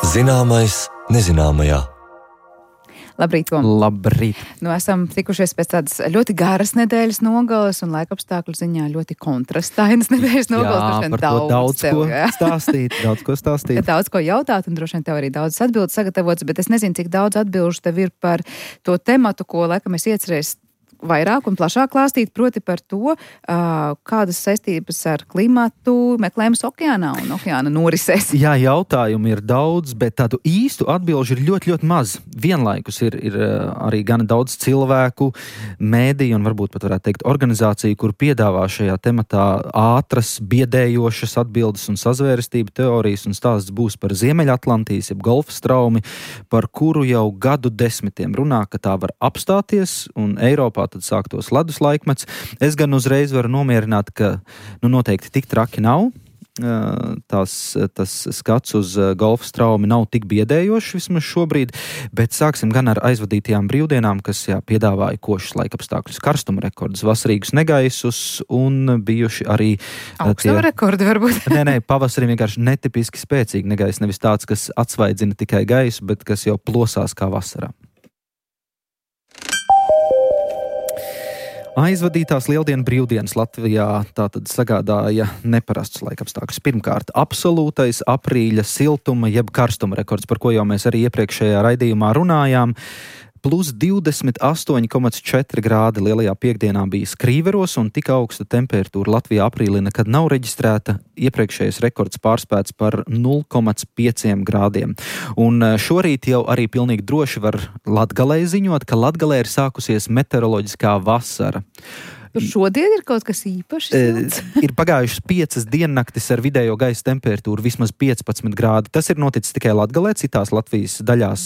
Zināmais nezināmajā. Labrīt, Tom. Labrīt. Esam tikušies pēc tādas ļoti garas nedēļas nogalas un laikapstākļu ziņā ļoti kontrastainas nedēļas nogalas. Jā, par to daudz ko stāstīt. Daudz ko jautāt un droši vien tev arī daudz atbildes sagatavots, bet es nezinu, cik daudz atbilžu tev ir par to tematu, ko laikam es iecerēs vairāk un plašāk klāstīt, proti par to, kādas saistības ar klimatu meklējums okeānā un okeāna norisēs. Jā, jautājumi ir daudz, bet tādu īstu atbilžu ir ļoti, ļoti maz. Vienlaikus ir arī gana daudz cilvēku, mēdīju un varbūt pat varētu teikt organizāciju, kur piedāvā šajā tematā ātras, biedējošas atbildes un sazvērestību teorijas, un stāsts būs par Ziemeļatlantijas, jeb Golfa straumi, par kuru jau gadu desmitiem runā, ka tā var apstāties, un Eiropā tad sāktos ledus laikmets. Es gan uzreiz varu nomierināt, ka noteikti tik traki nav. Tas skats uz Golfa straumi nav tik biedējošs vismaz šobrīd, bet sāksim gan ar aizvadītajām brīvdienām, kas piedāvāja košus laikapstākļus, karstuma rekordus, vasarīgus negaisus un bijuši arī augstuma rekordi varbūt. Nē, pavasarī vienkārši netipiski spēcīgi negaiss, nevis tāds, kas atsvaidzina tikai gaisu, bet kas jau plosās kā vasarā. Aizvadītās lieldienu brīvdienas Latvijā tātad sagādāja neparastus laikapstākļus. Pirmkārt, absolūtais aprīļa siltuma jeb karstuma rekords, par ko jau mēs arī iepriekšējā raidījumā runājām. Plus 28,4 grādi lielajā piekdienā bija Skrīveros, un tik augsta temperatūra Latvijā aprīlī nekad nav reģistrēta. Iepriekšējais rekords pārspēts par 0,5 grādiem. Un šorīt jau arī pilnīgi droši var Latgalē ziņot, ka Latgalē ir sākusies meteoroloģiskā vasara. Tur šodien ir kaut kas īpašs? Ir pagājušas 5 diennaktis ar vidējo gaisa temperatūru vismaz 15 grādi. Tas ir noticis tikai Latgalē, citās Latvijas daļās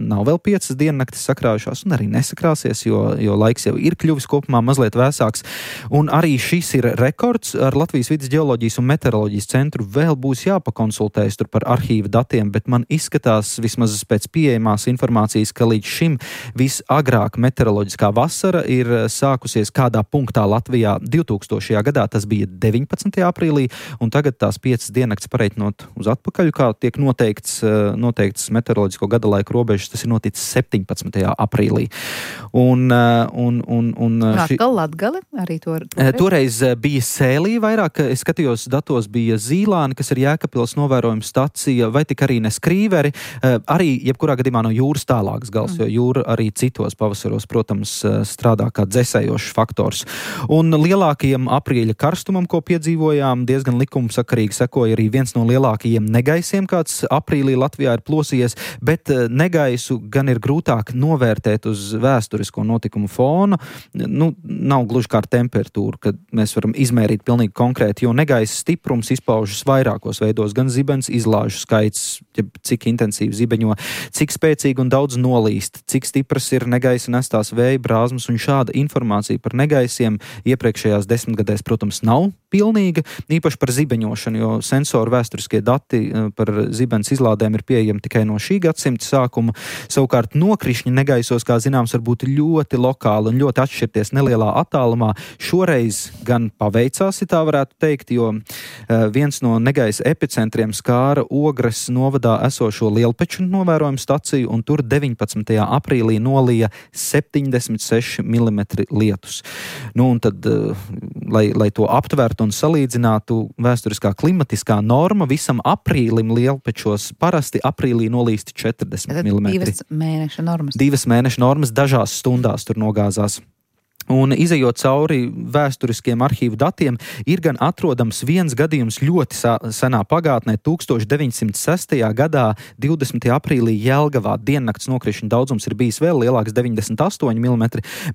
nav vēl 5 diennaktis sakrājušās un arī nesakrāsies, jo laiks jau ir kļuvis kopumā mazliet vēsāks. Un arī šis ir rekords. Ar Latvijas vides ģeoloģijas un meteoroloģijas centru vēl būs jāpakonsultējas tur par arhīva datiem, bet man izskatās vismaz pēc pieejamās informācijas, ka līdz šim visagrāk meteoroloģiskā vasara ir sākusies kādā punktā Latvijā 2000. gadā, tas bija 19. aprīlī, un tagad tās 5 diennakts pareiķinot uz atpakaļ, kā tiek noteikts meteoroloģisko gada laika robežas, tas ir noticis 17. aprīlī. Atkal Latgali arī toreiz bija Sēlī vairāk, es skatījos datos, bija Zīlāni, kas ir Jēkabpils novērojuma stacija, vai tik arī ne Skrīveri, arī jebkurā gadījumā no jūras tālākas gals, jo jūra arī citos pavasaros, protams, strādā kā dzesējošs faktors. Un lielākajam aprīļa karstumam, ko piedzīvojām, diezgan likumsakarīgi sekoja arī viens no lielākajiem negaisiem, kāds aprīlī Latvijā ir plosījies, bet negaisu gan ir grūtāk novērtēt uz vēsturisko notikumu fona. Nav gluži kā ar temperatūru, kad mēs varam izmērīt pilnīgi konkrēti, jo negaisa stiprums izpaužas vairākos veidos, gan zibens izlāžu skaits, cik intensīvi zibeņo, cik spēcīgi un daudz nolīst, cik stipras ir negaisa nestās vēja brāzmas, un šāda informācija par negaisiem iepriekšējās desmitgadēs, protams, nav pilnīga, īpaši par zibeņošanu, jo sensoru vēsturiskie dati par zibens izlādēm ir pieejami tikai no šī gadsimta sākuma. Savukārt nokrišņi negaisos, kā zināms, var būt ļoti lokāli un ļoti atšķirties nelielā attālumā. Šoreiz gan paveicās, ja tā varētu teikt, jo viens no negaisa epicentriem skāra Ogres novadā esošo Lielpeču novērojumu staciju, un tur 19. aprīlī nolija 76 mm lietus. Un tad, lai to aptvertu un salīdzinātu, vēsturiskā klimatiskā norma visam aprīlim Lielpečos parasti aprīlī nolīst 40 mm. 2 mēneša normas. 2 mēneša normas dažās stundās tur nogāzās. Un izejot cauri vēsturiskiem arhīvu datiem, ir gan atrodams viens gadījums ļoti senā pagātnē, 1906. gadā, 20. aprīlī Jelgavā diennakts nokrišņu daudzums ir bijis vēl lielāks, 98 mm,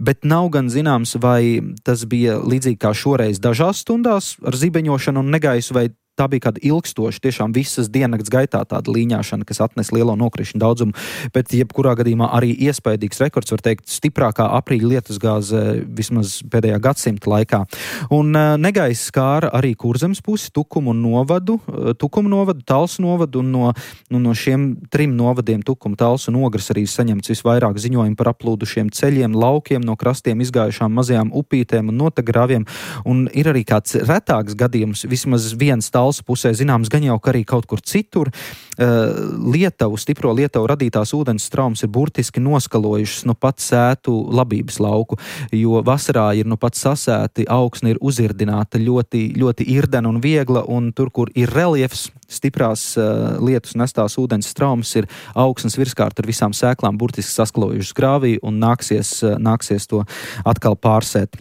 bet nav gan zināms, vai tas bija līdzīgi kā šoreiz dažās stundās ar zibeņošanu un negaisu, vai tā bija kāda ilgstoša, tiešām visas diennakts gaitā tāda līņāšana, kas atnes lielo nokrišņu daudzumu, bet jebkurā gadījumā arī iespaidīgs rekords, var teikt, stiprākā aprīļa lietusgāze vismaz pēdējā gadsimta laikā. Un negaisa skāra arī Kurzemes pusi, Tukumu novadu, Talsu novadu, un no šiem 3 novadiem, Tukumu, Talsu un Ogres, arī saņemts visvairāk ziņojumu par aplūdušiem ceļiem, laukiem, no krastiem izgājušām mazajām upītēm un notegrāviem, un ir arī kāds retāks gadījums, vismaz viens Talsu Talsu pusē zināms, gan jau arī kaut kur citur. Stipro Lietuvu radītās ūdens traumas ir burtiski noskalojušas pat sētu labības lauku, jo vasarā ir pat sasēti, augsne ir uzirdināta ļoti, ļoti irdena un viegla, un tur, kur ir reliefs, stiprās lietus nestās ūdens traumas, ir augsnes virskārt ar visām sēklām burtiski saskalojušas grāvī, un nāksies to atkal pārsēt.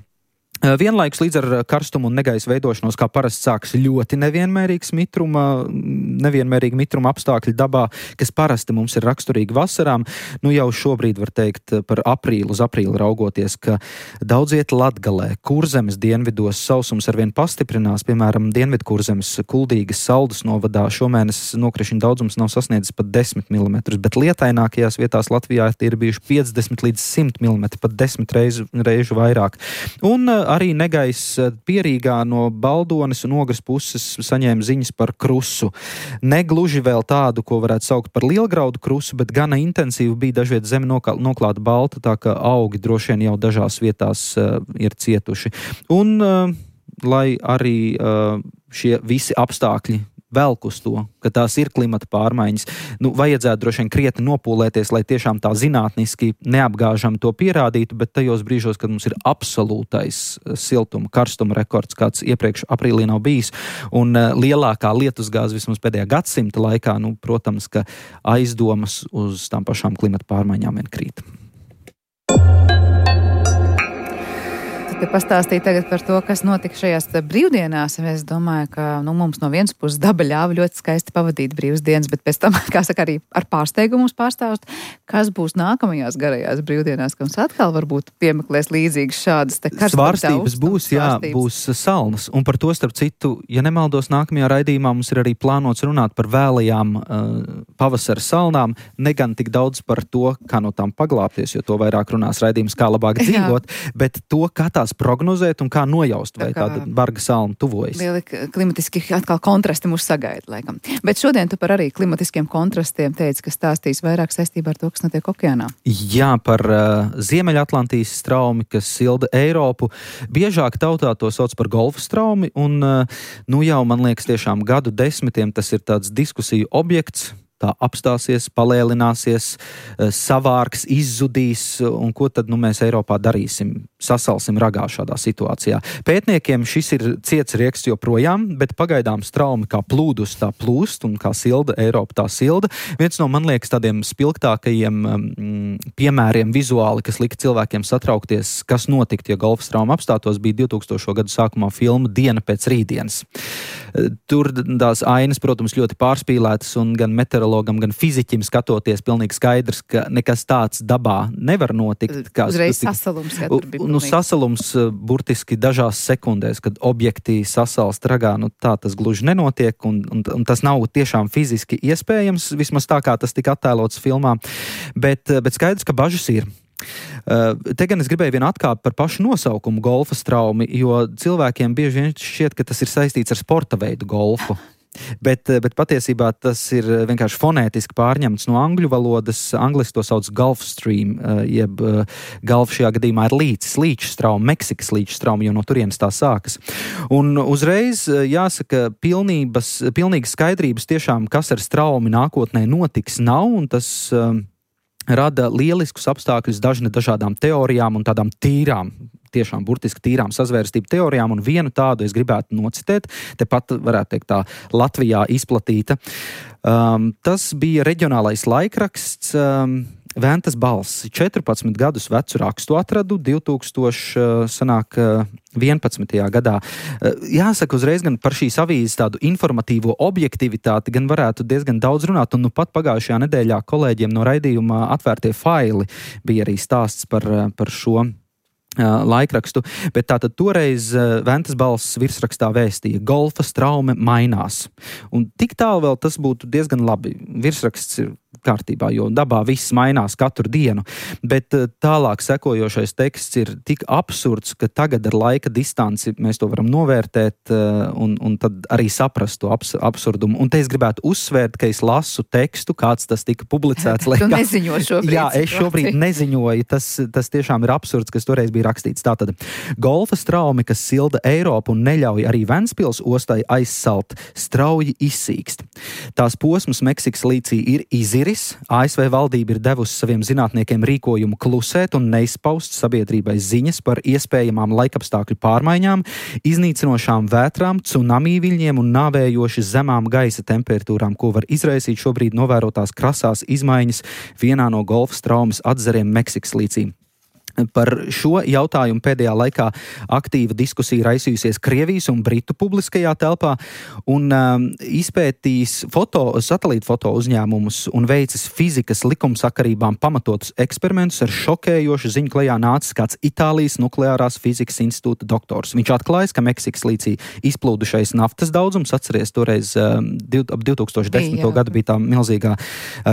Vienlaikus līdz ar karstumu un negaisa veidošanos, kā parasti sāks ļoti nevienmērīgi mitruma apstākļi dabā, kas parasti mums ir raksturīgi vasarām. Jau šobrīd var teikt par uz aprīli raugoties, ka daudz iet Latgalē, Kurzemes dienvidos sausums arvien pastiprinās, piemēram, Dienvidkurzemes Kuldīgas Saldus novadā šomēnes nokrišņu daudzums nav sasniedzis pat 10 mm, bet lietainākajās vietās Latvijā ir bijuši 50 līdz 100 mm, pat 10 reižu vairāk. Un arī negaisa Pierīgā no Baldones un Ogres puses saņēma ziņas par krusu. Negluži vēl tādu, ko varētu saukt par lielgraudu krusu, bet gana intensīvi bija dažviet zeme noklāta balta, tā ka augi droši vien jau dažās vietās ir cietuši. Un, lai arī šie visi apstākļi velk uz to, ka tās ir klimata pārmaiņas, vajadzētu droši vien krietni nopūlēties, lai tiešām tā zinātniski neapgāžami to pierādītu, bet tajos brīžos, kad mums ir absolūtais siltuma, karstuma rekords, kāds iepriekš aprīlī nav bijis, un lielākā lietusgāze vismaz pēdējā gadsimta laikā, protams, ka aizdomas uz tām pašām klimata pārmaiņām vien krīt. Te pastāstīja tagad par to, kas notika šajās brīvdienās. Es domāju, ka mums no vienas puses daba ļāva ļoti skaisti pavadīt brīvas dienas, bet pēc tam, kā saka, arī ar pārsteigumu mums pārstāst, kas būs nākamajās garajās brīvdienās, ka mums atkal varbūt piemeklēs līdzīgas šādas svārstības būs, būs salnas. Un par to, starp citu, ja nemaldos, nākamajā raidījumā mums ir arī plānots runāt par vēlajām pavasara salnām, ne gan tik daudz par to, kā no tām paglāpties, jo to vairāk runās raidījums, kā labāk dzīvot, bet to, kā tās prognozēt un kā nojaust, vai tāda barga salna tuvojas. Lieli klimatiski atkal kontrasti mūs sagaida, laikam. Bet šodien tu par arī klimatiskiem kontrastiem teici, ka stāstīs vairāk saistībā ar to, kas notiek okeānā. Jā, par Ziemeļatlantijas straumi, kas silda Eiropu. Biežāk tautā to sauc par golfa straumi, un jau, man liekas, tiešām gadu desmitiem tas ir tāds diskusiju objekts. Tā apstāsies, palēlināsies, savārks, izzudīs, un ko tad mēs Eiropā darīsim? Sasalsim ragā šādā situācijā. Pētniekiem šis ir ciets rieksts joprojām, bet pagaidām straumi kā plūdus tā plūst, un kā silda Eiropa tā silda. Viens no, man liekas, tādiem spilgtākajiem piemēriem vizuāli, kas lika cilvēkiem satraukties, kas notikt, ja golfa strauma apstātos, bija 2000. Gadu sākumā filma Diena pēc rītdienas. Tur tās ainas, protams, ļoti pārspīlētas, un gan meteorologam, gan fiziķim skatoties pilnīgi skaidrs, ka nekas tāds dabā nevar notikt. Uzreiz sasalums, ja tur bija. Sasalums burtiski dažās sekundēs, kad objekti sasalst ragā, tā tas gluži nenotiek, un tas nav tiešām fiziski iespējams, vismaz tā kā tas tika attēlots filmā, bet skaidrs, ka bažas ir. Te gan es gribēju vienu atkāpi par pašu nosaukumu golfa straumi, jo cilvēkiem bieži vien šķiet, ka tas ir saistīts ar sporta veidu golfu. Bet patiesībā tas ir vienkārši fonētiski pārņemts no angļu valodas. Angliski to sauc Gulf Stream, jeb Gulf šajā gadījumā ir līča strauma, Meksikas līča strauma, jo no turienes tā sākas. Un uzreiz jāsaka, pilnīgas skaidrības tiešām, kas ar straumi nākotnē notiks, nav, un tas rada lieliskus apstākļus dažādām teorijām un tādām tiešām burtiski tīrām sazvērestību teorijām, un vienu tādu es gribētu nocitēt, tepat varētu teikt tā Latvijā izplatīta. Tas bija reģionālais laikraksts Ventas balss. 14 gadus vecu rakstu atradu 2011. gadā. Jāsaka uzreiz gan par šīs avīzes tādu informatīvo objektivitāti, gan varētu diezgan daudz runāt, un pat pagājušajā nedēļā kolēģiem no raidījuma Atvērtie faili bija arī stāsts par šo laikrakstu, bet tātad toreiz Ventas balss virsrakstā vēstīja: golfa straume mainās. Un tik tālu vēl tas būtu diezgan labi. Virsraksts ir kārtībā, jo dabā viss mainās katru dienu. Bet tālāk sekojošais teksts ir tik absurds, ka tagad ar laika distanci mēs to varam novērtēt un tad arī saprast to absurdumu. Un te es gribētu uzsvērt, ka es lasu tekstu, kāds tas tika publicēts. Tu neziņo šobrīd. Jā, es šobrīd neziņoju. Tas tiešām ir absurds, kas toreiz bija rakstīts. Tātad golfa straumi, kas silda Eiropu un neļauj arī Ventspils ostai aizsalt, strauji izsīkst. Tās posms Meksikas līcī ir iziris. ASV valdība ir devusi saviem zinātniekiem rīkojumu klusēt un neizpaust sabiedrībai ziņas par iespējamām laikapstākļu pārmaiņām, iznīcinošām vētrām, tsunami viļņiem un nāvējoši zemām gaisa temperatūrām, ko var izraisīt šobrīd novērotās krasās izmaiņas vienā no golfa straumes atzariem Meksikas līcī. Par šo jautājumu pēdējā laikā aktīva diskusija raisījusies Krievijas un Britu publiskajā telpā un izpētīs satelītu foto uzņēmumus un veicis fizikas likumsakarībām pamatotus eksperimentus ar šokējošu ziņu klajā nācis kāds Itālijas nukleārās fizikas institūta doktors. Viņš atklājis, ka Meksikas līcī izplūdušais naftas daudzums, atceries toreiz ap 2010. gadu bija tā milzīgā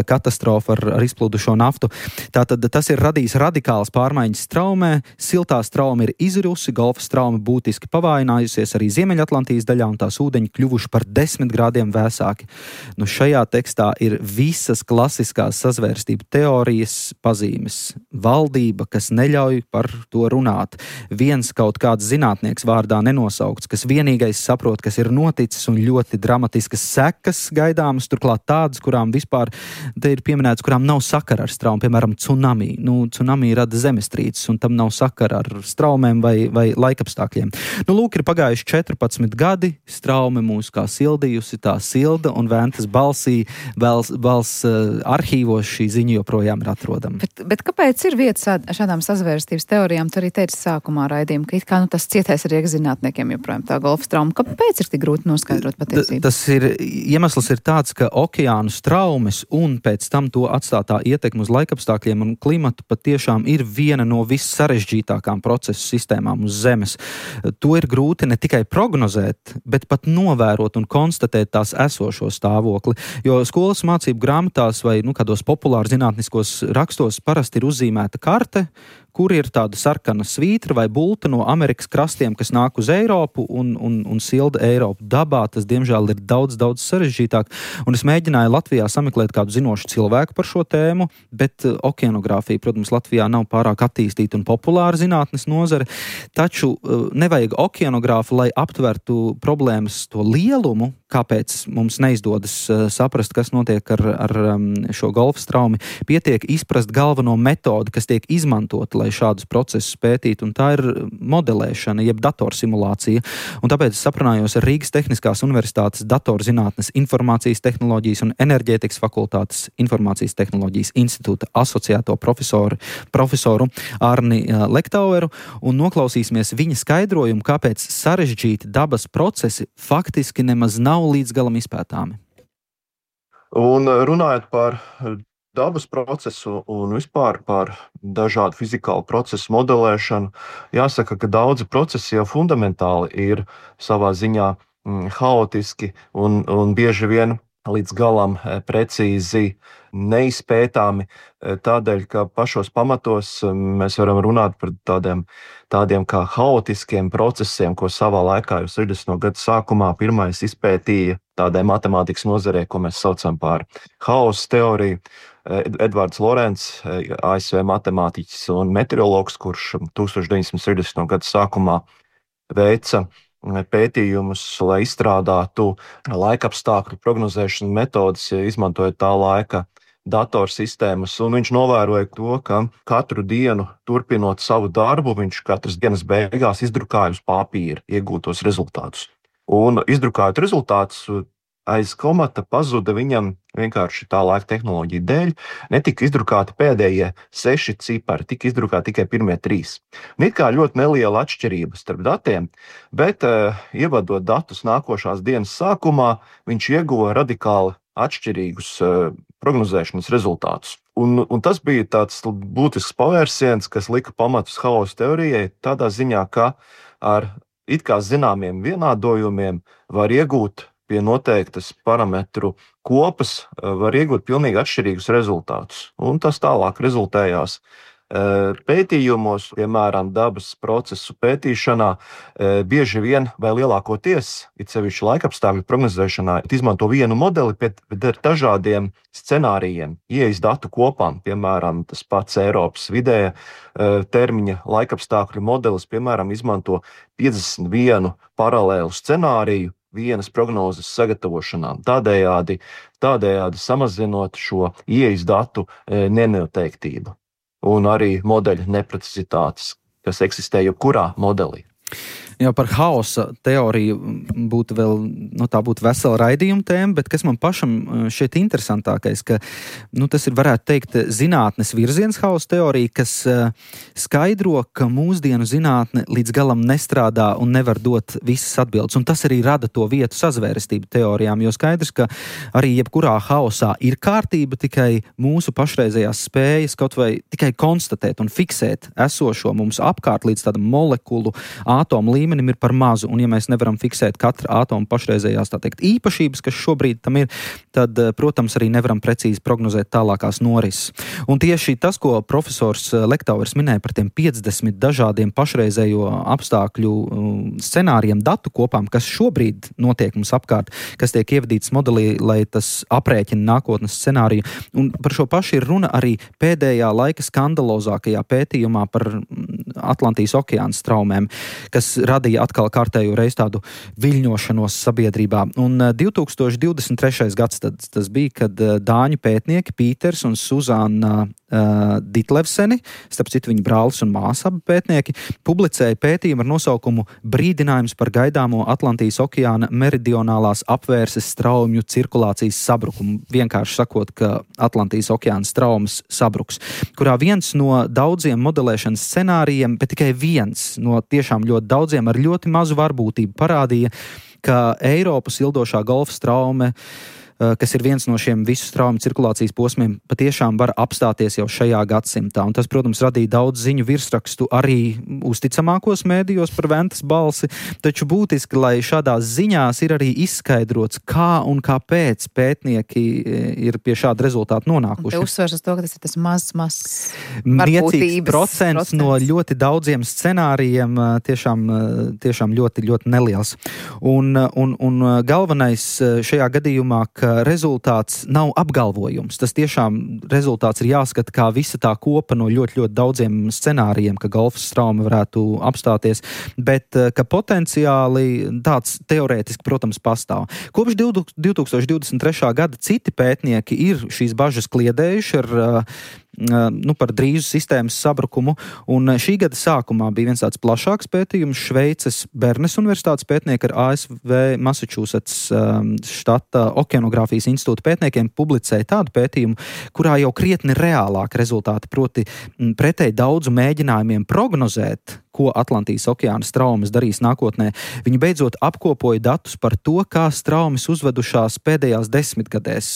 katastrofa ar izplūdušo naftu. Tātad tas ir radījis radikālas pārmaiņas straumē, siltā strauma ir izirusi, golfa strauma būtiski pavājinājusies arī Ziemeļatlantijas daļā un tās ūdeņi kļuvuši par 10 grādiem vēsāki. Nu, šajā tekstā ir visas klasiskās sazvērstību teorijas pazīmes. Valdība, kas neļauj par to runāt. Viens kaut kāds zinātnieks vārdā nenosaukts, kas vienīgais saprot, kas ir noticis un ļoti dramatiskas sekas gaidāmas, turklāt tādas, kurām vispār, te ir pieminēts, kurām nav sakara ar straumu, piemēram, tsunami. Tsunami rada zemestrīces, un tam nav sakara ar straumēm vai laikapstākļiem. Lūk, ir pagājuši 14 gadi, straume mūs kā sildījusi, tā silda, un Ventas balsī valsts arhīvos šī ziņa joprojām ir atrodama. Bet kāpēc ir vieta šādām sazvērstības teorijām? Tu arī teici sākumā raidījuma, ka it kā tas cietais arī zinātniekiem joprojām tā golfa strauma. Kāpēc ir tik grūti noskaidrot patiesību? Iemesls ir tāds, ka okeānu straumes un pēc tam to atstātā ietekme uz laikapstākļiem un klimatu patiešām ir viena no vissarežģītākām procesu sistēmām uz Zemes. To ir grūti ne tikai prognozēt, bet pat novērot un konstatēt tās esošo stāvokli, jo skolas mācību grāmatās vai kādos populāri zinātniskos rakstos parasti ir uzzīmēta karte, kur ir tāda sarkana svītra vai bulta no Amerikas krastiem, kas nāk uz Eiropu un silda Eiropu. Dabā tas, diemžēl, ir daudz sarežģītāk. Un es mēģināju Latvijā sameklēt kādu zinošu cilvēku par šo tēmu, bet okeanogrāfija, protams, Latvijā nav pārāk attīstīta un populāra zinātnes nozare. Taču nevajag okeanogrāfu, lai aptvertu problēmas to lielumu, kāpēc mums neizdodas saprast, kas notiek ar šo golfa straumi. Pietiek izprast galveno metodi, kas tiek izmantota, lai šādus procesus pētītu, un tā ir modelēšana, jeb datorsimulācija. Un tāpēc es saprunājos ar Rīgas Tehniskās universitātes datorzinātnes, informācijas tehnoloģijas un enerģētikas fakultātes informācijas tehnoloģijas institūta asociēto profesoru Arni Lektaueru, un noklausīsimies viņa skaidrojumu, kāpēc sarežģīti dabas procesi faktiski nemaz nav līdz galam izpētāmi. Un runājot par dabas procesu un vispār par dažādu fizikālu procesu modelēšanu, jāsaka, ka daudzi procesi jau fundamentāli ir savā ziņā haotiski un bieži vien līdz galam precīzi neizpētāmi, tādēļ, ka pašos pamatos mēs varam runāt par tādiem kā haotiskiem procesiem, ko savā laikā jau 60. gadu sākumā pirmais izpētīja tādai matemātikas nozarē, ko mēs saucam par haosa teoriju. Edvards Lorents, ASV matemātiķis un meteorologs, kurš 1960. gadu sākumā veica pētījumus, lai izstrādātu laikapstākļu prognozēšanas metodas, izmantojot tā laika datorsistēmas, un viņš novēroja to, ka katru dienu, turpinot savu darbu, viņš katras dienas beigās izdrukāja uz papīra iegūtos rezultātus. Un izdrukājot rezultātus, aiz komata pazuda viņam vienkārši tā laika tehnoloģija dēļ, netika izdrukāti pēdējie 6 cipari, tika izdrukāti tikai pirmie 3. It kā ļoti neliela atšķirība starp datiem, bet ievadot datus nākošās dienas sākumā, viņš ieguva radikāli atšķirīgus prognozēšanas rezultātus. Un tas bija tāds būtisks pavērsiens, kas lika pamatus haosa teorijai, tādā ziņā, ka ar it kā zināmiem vienādojumiem var iegūt pie noteiktas parametru kopas var iegūt pilnīgi atšķirīgus rezultātus. Un tas tālāk rezultējās pētījumos, piemēram, dabas procesu pētīšanā, bieži vien vai lielākoties, it sevišķi laikapstākļu prognozēšanā, izmanto vienu modeli, bet ar dažādiem scenārijiem, ieejas datu kopām, piemēram, tas pats Eiropas vidēja termiņa laikapstākļu modelis, piemēram, izmanto 51 paralēlu scenāriju vienas prognozes sagatavošanā, tādējādi samazinot šo ieejas datu nenoteiktību un arī modeļu neprecizitātes, kas eksistē jebkurā modelī. Jau par haosa teoriju būtu vēl, tā būtu vesela raidījuma tēma, bet kas man pašam šķiet interesantākais, ka, tas ir, varētu teikt, zinātnes virziens haosa teorija, kas skaidro, ka mūsdienu zinātne līdz galam nestrādā un nevar dot visas atbildes. Un tas arī rada to vietu sazvērestību teorijām, jo skaidrs, ka arī jebkurā haosā ir kārtība, tikai mūsu pašreizējās spējas kaut vai tikai konstatēt un fiksēt esošo mums apkārt līdz tādam molekulu, ātomu līmenim ir par mazu, un ja mēs nevaram fiksēt katra ātoma pašreizējās, tā teikt, īpašības, kas šobrīd tam ir, tad, protams, arī nevaram precīzi prognozēt tālākās norises. Un tieši tas, ko profesors Lektauvers minēja par tiem 50 dažādiem pašreizējo apstākļu scenārijiem, datu kopām, kas šobrīd notiek mums apkārt, kas tiek ievadīts modelī, lai tas aprēķina nākotnes scenāriju. Un par šo pašu ir runa arī pēdējā laika skandalozākajā pētījumā par Atlantijas okeāna straumēm, kas radīja atkal kārtējo reizi tādu viļņošanos sabiedrībā. Un 2023. gads tas bija, kad dāņu pētnieki Pīters un Suzāna Ditlevseni, starp citu viņa brālis un māsa abi pētnieki, publicēja pētījumu ar nosaukumu Brīdinājums par gaidāmo Atlantijas okeāna meridionālās apvērses straumju cirkulācijas sabrukumu. Vienkārši sakot, ka Atlantijas okeāna straumes sabruks, kurā viens no daudziem modelēšanas scenārijiem, bet tikai viens no tiešām ļoti daudziem ar ļoti mazu varbūtību parādīja, ka Eiropas ildošā golfa straume, kas ir viens no šiem visu straumu cirkulācijas posmiem, patiešām var apstāties jau šajā gadsimtā. Un tas, protams, radīja daudz ziņu virsrakstu arī uzticamākos mēdījos par ventas balsi, taču būtiski, lai šādās ziņās ir arī izskaidrots, kā un kāpēc pētnieki ir pie šāda rezultāta nonākuši. Te uzsvers uz to, ka tas ir tas mazs niecīgs procents no ļoti daudziem scenārijiem, tiešām ļoti, ļoti neliels. Un galvenais šajā gadījumā, ka rezultāts nav apgalvojums. Tas tiešām rezultāts ir jāskata kā visa tā kopa no ļoti, ļoti daudziem scenārijiem, ka golfa strauma varētu apstāties, bet ka potenciāli tāds teorētiski, protams, pastāv. Kopš 2023. gada citi pētnieki ir šīs bažas kliedējuši par drīzu sistēmas sabrukumu, un šī gada sākumā bija viens tāds plašāks pētījums. Šveices Bernes universitātes pētnieki ar ASV Massachusetts štata okeanogrāfijas institūta pētniekiem publicēja tādu pētījumu, kurā jau krietni reālāk rezultāti, proti pretēji daudzu mēģinājumiem prognozēt, ko Atlantijas okeāna straumes darīs nākotnē. Viņi beidzot apkopoja datus par to, kā straumes uzvedušās pēdējās desmitgadēs.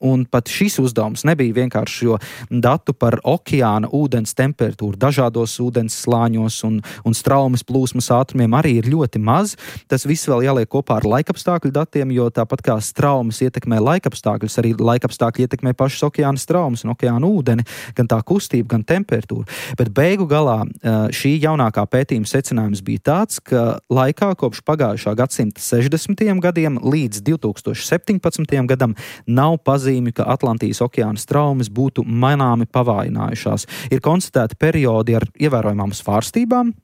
Un pat šis uzdevums nebija vienkārši, jo datu par okeāna ūdens temperatūru dažādos ūdens slāņos un straumes plūsmas ātrumiem arī ir ļoti maz. Tas viss vēl jāliek kopā ar laikapstākļu datiem, jo tāpat kā straumes ietekmē laikapstākļus, arī laikapstākļi ietekmē pašas okeāna straumes un okeāna ūdeni, gan tā kustība, gan temperatūra. Bet beigu galā šī jaunākā pētījuma secinājums bija tāds, ka laikā kopš pagājušā gadsimta 60. gadiem līdz 2017. gadam nav pazīmi, ka Atlantijas okeāna straumes būtu manāmi pavājinājušās. Ir konstatēti periodi ar ievērojamām svārstībām,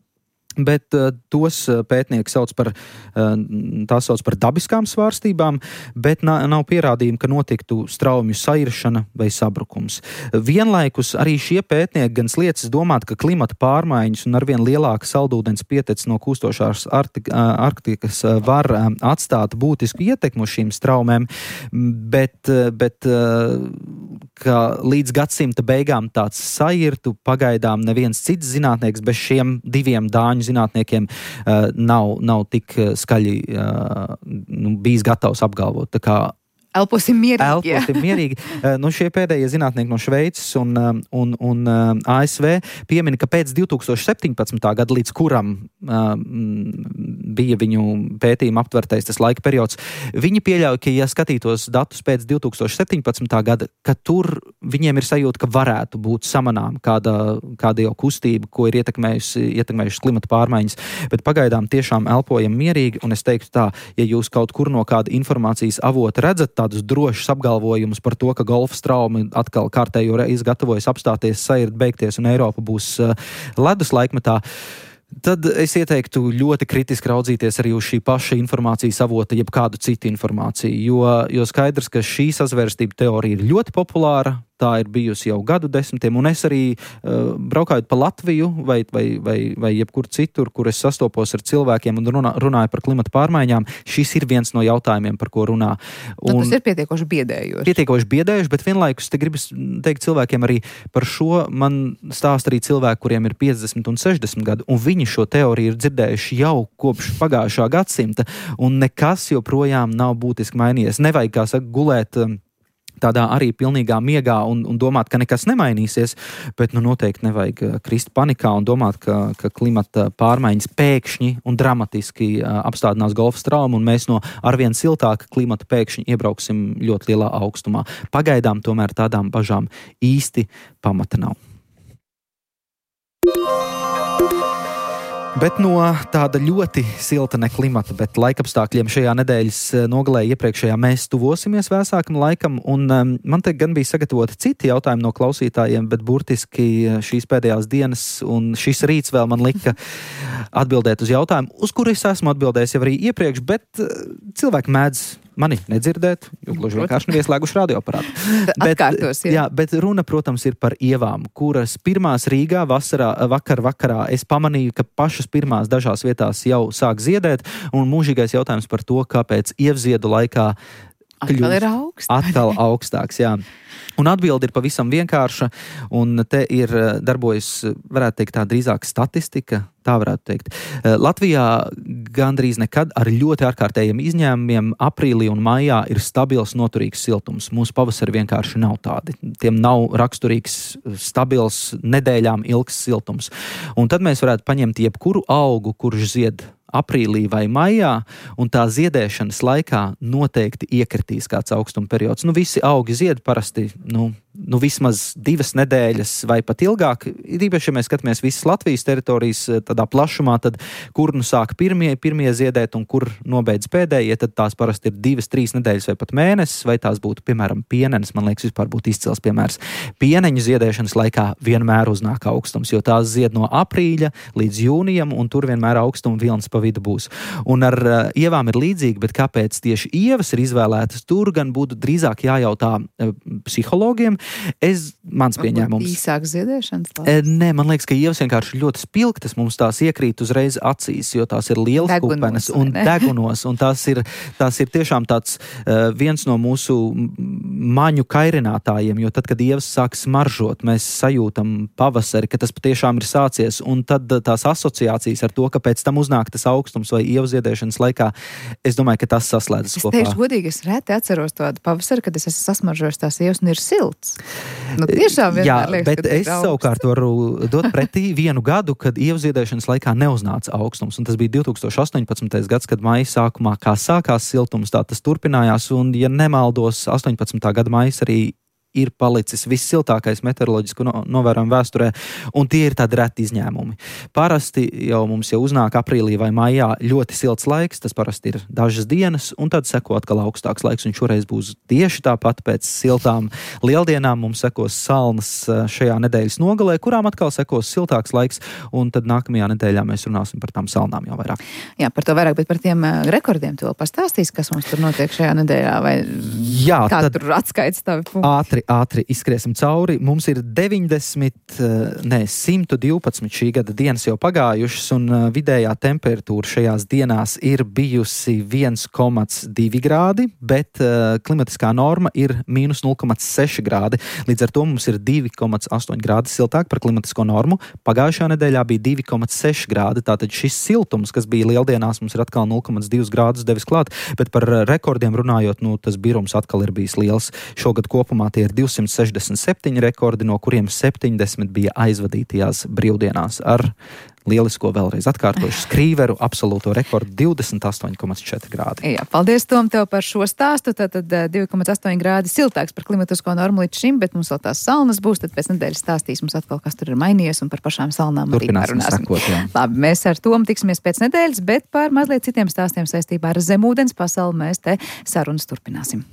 bet tos pētnieki sauc par dabiskām svārstībām, bet nav pierādījumi, ka notiktu straumju sairšana vai sabrukums. Vienlaikus arī šie pētnieki gan sliecas domāt, ka klimata pārmaiņas un arvien lielāka saldūdens pietec no kūstošās Arktikas var atstāt būtisku ietekmu šīm straumēm, bet ka līdz gadsimta beigām tāds sairtu pagaidām neviens cits zinātnieks bez šiem diviem dāņu zinātniekiem nav tik skaļi bijis gatavs apgalvot. Tā kā Elposim mierīgi. Elposim mierīgi. Šie pēdējie zinātnieki no Šveices un ASV piemina, ka pēc 2017. gada, līdz kuram bija viņu pētījuma aptvertais tas laika periods, viņi pieļauj, ka, ja skatītos datus pēc 2017. gada, ka tur viņiem ir sajūta, ka varētu būt samanām kāda jau kustība, ko ir ietekmējušas klimata pārmaiņas, bet pagaidām tiešām elpojam mierīgi, un es teiktu tā, ja jūs kaut kur no kāda informācijas avota redzat tādus drošus apgalvojumus par to, ka golfa straumi atkal kārtējo reizi gatavojas apstāties, sairt beigties un Eiropa būs ledus laikmetā, tad es ieteiktu ļoti kritiski raudzīties arī uz šī paša informācijas avota, jeb kādu citu informāciju, jo skaidrs, ka šī sazvērstība teorija ir ļoti populāra, tā ir bijusi jau gadu desmitiem, un es arī braukājot pa Latviju vai jebkur citur, kur es sastopos ar cilvēkiem un runāju par klimata pārmaiņām, šis ir viens no jautājumiem, par ko runā. Tas ir pietiekoši biedējoši. Pietiekoši biedējoši, bet vienlaikus te gribas teikt cilvēkiem arī par šo, man stāst arī cilvēki, kuriem ir 50 un 60 gadu, un viņi šo teoriju ir dzirdējuši jau kopš pagājušā gadsimta, un nekas joprojām nav būtiski mainījies. Nevajag, kā saka, gulēt tādā arī pilnīgā miegā un domāt, ka nekas nemainīsies, bet noteikti nevajag krist panikā un domāt, ka klimata pārmaiņas pēkšņi un dramatiski apstādinās golfa traumu un mēs no arvien siltāka klimata pēkšņi iebrauksim ļoti lielā augstumā. Pagaidām tomēr tādām bažām īsti pamata nav. Bet no tāda ļoti silta ne klimata, bet laikapstākļiem šajā nedēļas nogalē iepriekšējā mēs tuvosimies vēsākam laikam, un man te gan bija sagatavoti citi jautājumi no klausītājiem, bet burtiski šīs pēdējās dienas un šis rīts vēl man lika atbildēt uz jautājumu, uz kuru es esmu atbildējis jau arī iepriekš, bet cilvēki mēdz mani nedzirdēt, jo gluži vienkārši nav ieslēguši radioaparātu. Atkārtos, jā, bet runa, protams, ir par ievām, kuras pirmās Rīgā vakarā es pamanīju, ka pašas pirmās dažās vietās jau sāk ziedēt, un mūžīgais jautājums par to, kāpēc ievziedu laikā atkal augstāks, jā. Un atbilde ir pavisam vienkārša, un te ir darbojas, varētu teikt, tā drīzāk statistika, tā varētu teikt. Latvijā gandrīz nekad ar ļoti ārkārtējiem izņēmumiem aprīlī un maijā ir stabils, noturīgs siltums. Mūsu pavasari vienkārši nav tādi. Tiem nav raksturīgs, stabils, nedēļām ilgs siltums. Un tad mēs varētu paņemt jebkuru augu, kurš zied aprīlī vai maijā, un tā ziedēšanas laikā noteikti iekritīs kāds augstuma periods. Visi augi zied parasti, vismaz 2 nedēļas vai pat ilgāk. Īpaši, ja mēs skatāmies visas Latvijas teritorijas tādā plašumā, tad kur sāk pirmie ziedēt un kur nobeidz pēdējie, tad tās parasti ir 2-3 nedēļas vai pat mēnesis, vai tās būtu, piemēram, pienenes. Man liekas, vispār būtu izcils piemērs. Pieneņu ziedēšanas laikā vienmēr uznāk augstums, jo tās zied no aprīļa līdz jūnijam, un tur vienmēr augstuma vilnis pa vidu būs. Un ar ievām ir līdzīgi, bet kāpēc tieši ievas ir izvēlētas, tur gan būtu drīzāk jājautā psihologiem. Mans pieņēmums. Īsāk ziedēšanas laiks? Nē, man liekas, ka ievas vienkārši ļoti spilgtas, mums tās iekrīt uzreiz acīs, jo tās ir lielas kupenes un degunos, un tās ir tiešām tāds viens no mūsu maņu kairinātājiem, jo tad, kad ievas sāk smaržot, mēs sajūtam pavasari, ka tas patiešām ir sācies, un tad tās asociācijas ar to, ka pēc tam uznāk tas augstums vai ievu ziedēšanas laikā, es domāju, ka tas saslēdzas kopā. Es teikšu godīgi, es reti atceros tādu pavasari, kad es esmu sasmaržojis tās ievas un ir silts. Tiešām vienmēr liekas, bet es savukārt varu dot pretī vienu gadu, kad ievuziedēšanas laikā neuznāca augstums, un tas bija 2018. gads, kad maija sākumā kā sākās siltums, tā tas turpinājās, un, ja nemaldos, 18. gada maijas arī ir palicis vissiltākais meteoroloģisku novērojumu vēsturē, un tie ir tādi reti izņēmumi. Parasti jau mums uznāk aprīlī vai maijā ļoti silts laiks, tas parasti ir dažas dienas, un tad seko atkal augstāks laiks, un šoreiz būs tieši tāpat pēc siltām lieldienām. Mums sekos salnas šajā nedēļas nogalē, kurām atkal sekos siltāks laiks, un tad nākamajā nedēļā mēs runāsim par tām salnām jau vairāk. Jā, par to vairāk, bet par tiem rekordiem tu vēl pastāstīs, kas mums tur notiek šajā nedēļā, vai kā tur atskaits tavi punkti? ātri izskriesim cauri. Mums ir 112 šī gada dienas jau pagājušas, un vidējā temperatūra šajās dienās ir bijusi 1,2 grādi, bet klimatiskā norma ir mīnus 0,6 grādi. Līdz ar to mums ir 2,8 grādi siltāk par klimatisko normu. Pagājušajā nedēļā bija 2,6 grādi, tātad šis siltums, kas bija lieldienās, mums ir atkal 0,2 grādus devis klāt, bet par rekordiem runājot, tas birums atkal ir bijis liels. Šogad kopumā tie ir 267 rekordi, no kuriem 70 bija aizvadītajās brīvdienās ar lielisko vēlreiz atkārtošu skrīveru absolūto rekordu 28,4 grādi. Jā, paldies, Tom, tev par šo stāstu. Tātad 2,8 grādi siltāks par klimatisko normu līdz šim, bet mums vēl tās salnas būs, tad pēc nedēļas stāstīs mums atkal, kas tur ir mainījies, un par pašām salnām arī parunāsim. Labi, mēs ar Tomu tiksimies pēc nedēļas, bet par mazliet citiem stāstiem saistībā ar zemūdens pasauli mēs te sarunas turpināsim.